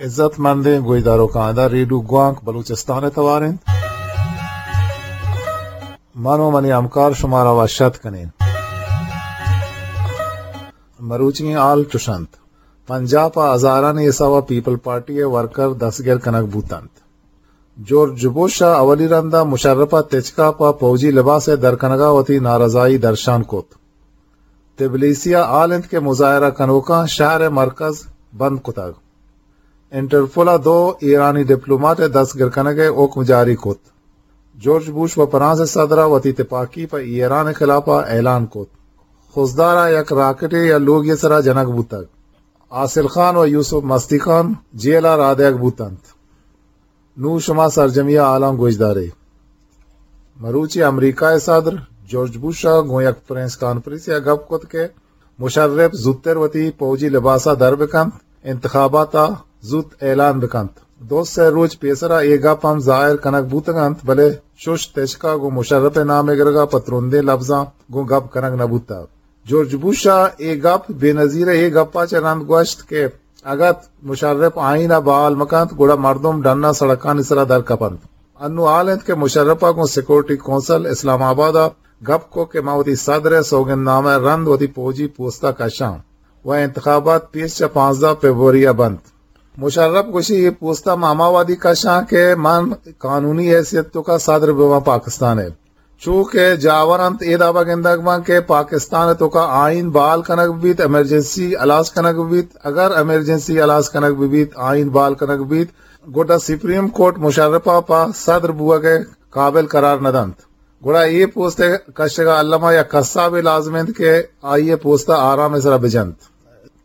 عزت مندیں گوشداروکاں، ادا ریڈیو گوانک بلوچستان ءِ توار انت۔ من و منی ہمکار شمارا وش اتک کنیں۔ مروچی ئیں حال چش انت۔ پنجاب ءَ ہزارانی حساب ءَ پیپل پارٹی ءِ ورکر دستگیر کنگ بوت انت۔ جارج بش ءَ اولی رند ءَ مشرف ءَ تچک ءَ پہ پوجی لباس ءِ در کنگ ءَ وتی نارضائی درشان کت۔ تبلیسی ءَ حال انت کہ مظاہرہ کنوکاں شہر ءِ مرکز بند کتگ۔ انٹرپول ءَ دو ایرانی ڈپلوماٹ ءِ دستگیر کنگ ءِ حکم جاری کت۔ جارج بش و فرانس ءِ صدر ءَ وتی تپاکی پہ ایران ءِ خلاف ءَ اعلان کت۔ خضدار ءَ یک راکٹے یا لوگے ءِ سرا جنگ بوتگ۔ حاصل خان و یوسف مستی خان جیل ءَ راہ دئیگ بوت انت۔ نوں شما سرجمی ءَ حالاں گوشدارے۔ مروچی امریکہ ءِ صدر جارج بش ءَ گوں یک پریس کانفرنسے ءَ گپ کت کہ مشرف زوتر وتی پوجی لباس ءَ در بکنت، انتخابات ءَ زوت اعلان بکنت۔ دو سے روچ پیسر ءَ اے گپ ہم ظاہر کنگ بوتگ انت، بلے چش تچک ءَ گوں مشرف ءِ نام ءِ گرگ ءَ پہ ترندیں لبزاں گوں گپ کنگ نہ بوتگ۔ جارج بش ءَ اے گپ بے نظیر ءِ اے گپ ءَ چہ رند گوشت کہ اگت مشرف آئین ءَ بحال مکنت، گڑا مردم ڈن ءَ سڑکانی سرا در کپنت۔ انوں حال انت کہ مشرف ءَ گوں سیکورٹی کونسل اسلام آباد ءَ گپ کت کہ من وتی صدر ءِ سوگند نامہ ءَ رند وتی پوجی پوست ءَ کشاں و انتخابات پیش چہ پانزدہ فبروری ءَ بنت۔ مشرف گوشی، اے پوست ءَ من ہما وہدی کشاں کہ من قانونی حیثیت ءِ توکا صدر بباں پاکستان ءِ۔ چو کہ جاور انت، اے دابا گندگ بنت کہ پاکستان ءِ توکا آئین بحال کنگ بیت، ایمرجنسی ہلاس کنگ بیت۔ اگر ایمرجنسی ہلاس کنگ بیت، آئین بحال کنگ بیت، گڈا سپریم کورٹ مشرف ءَ پہ صدر بوگ ءِ قابل قرار نہ دنت۔ گڑا اے پوست ءِ کشگ ءَ الما یک قصابے لازم انت کہ آئی ءِ پوست ءَ آرام ءِ سرا بجنت۔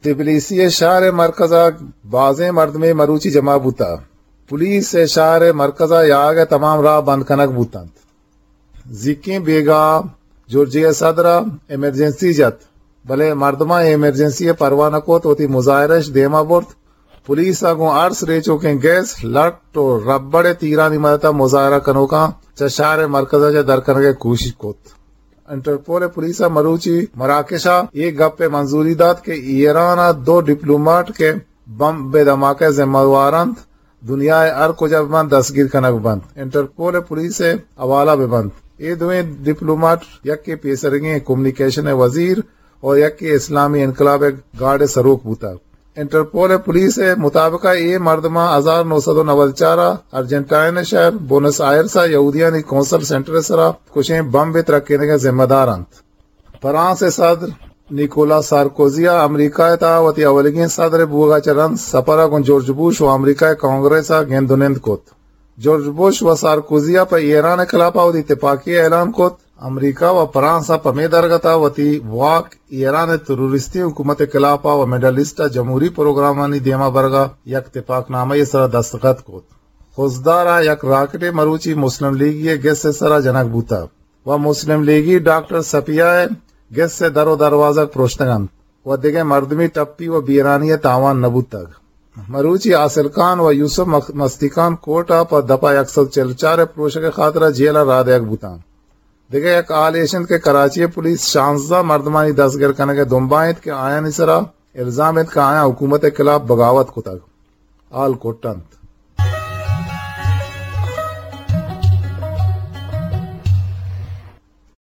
تبلیسی ءِ شہر ءِ مرکز ءَ بازیں مردمے مروچی جمع بوتگ۔ پولیس ءِ شہر ءِ مرکز ءَ یاگ ءِ تمام راہ بند کنگ بوت انت۔ زیکیں بیگاہ ءَ جارجیا ءِ صدر ءَ ایمرجنسی جت، بلے مردماں اے ایمرجنسی ءِ پرواہ نہ کت، وتی مظاہرہ اش دیما برت۔ پولیس ءَ گوں ارس، ریچوکیں گیس، لٹ و ربڑ ءِ تیرانی مدت ءَ مظاہرہ کنوکاں چہ شہر ءِ مرکز ءَ چہ در کنگ ءِ کوشش کت۔ انٹرپول ءِ پولیس ءَ مروچی مراکش ءَ اے گپ ءِ منظوری دات کہ ایران ءِ دو ڈپلوماٹ کہ بمب ءِ دھماکہ ءِ ذمہ وار انت، دنیا ءِ ہر کجا بہ بنت، دستگیر کنگ بہ بنت، انٹرپول ءِ پولیس ءِ حوالہ بہ بنت۔ اے دوئیں ڈپلوماٹ، یکے پیسریگیں کمیونیکیشن ءِ وزیر اور یکے اسلامی انقلاب ءِ گارڈ ءِ سروک بوتگ۔ انٹرپول ءِ پولیس ءِ مطابق ءَ اے مردماں ہزار نو سد و نود چار ءَ ارجنٹائن ءِ شہر بونس آئرس ءَ یہودیانی کونسل سینٹر ءِ سرا کشیں بمب ءِ ترکینگ ءِ ذمہ دار انت۔ فرانس ءِ صدر نیکولا سارکوزی ءَ امریکہ ءِ تہا وتی اولیگیں صدر ءِ بوگ ءَ چہ رند سپر ءَ گوں جارج بش و امریکہ ءِ کانگریس ءَ گند و نند کت۔ جارج بش و سارکوزی ءَ پہ ایران ءِ خلاف ءَ وتی تپاکی ءِ اعلان کت۔ امریکہ و فرانس ءَ پمے درگت ءَ وتی واک ایران ءِ تروریستی حکومت ءِ خلاف ءَ و مڈل ایسٹ ءَ جمہوری پروگرامانی دیما برگ ءَ یک تپاک نامہ ءِ سرا دستخط کت۔ خضدار ءَ یک راکٹے مروچی مسلم لیگی ءِ گس ءِ سرا جنگ بوتگ و مسلم لیگی ڈاکٹر صفیہ ءِ گس ءِ در و دروازگ پروشتگ انت و دگہ مردمی ٹپی و بیرانی ءِ تاوان نہ بوتگ۔ مروچی حاصل خان و یوسف مخ-، مستی خان کورٹ ءَ پہ دپا یک سد چل چار ءِ پروشگ ءِ خاطر ءَ جیل ءَ راہ دئیگ بوتاں۔ دگہ یک حالے اش انت کہ کراچی ءِ پولیس شانزدہ مردمانی دستگیر کنگ ءِ دمبا انت کہ آیانی سرا الزام انت کہ آیاں حکومت ءِ خلاف بغاوت کتگ۔ حال کٹ انت۔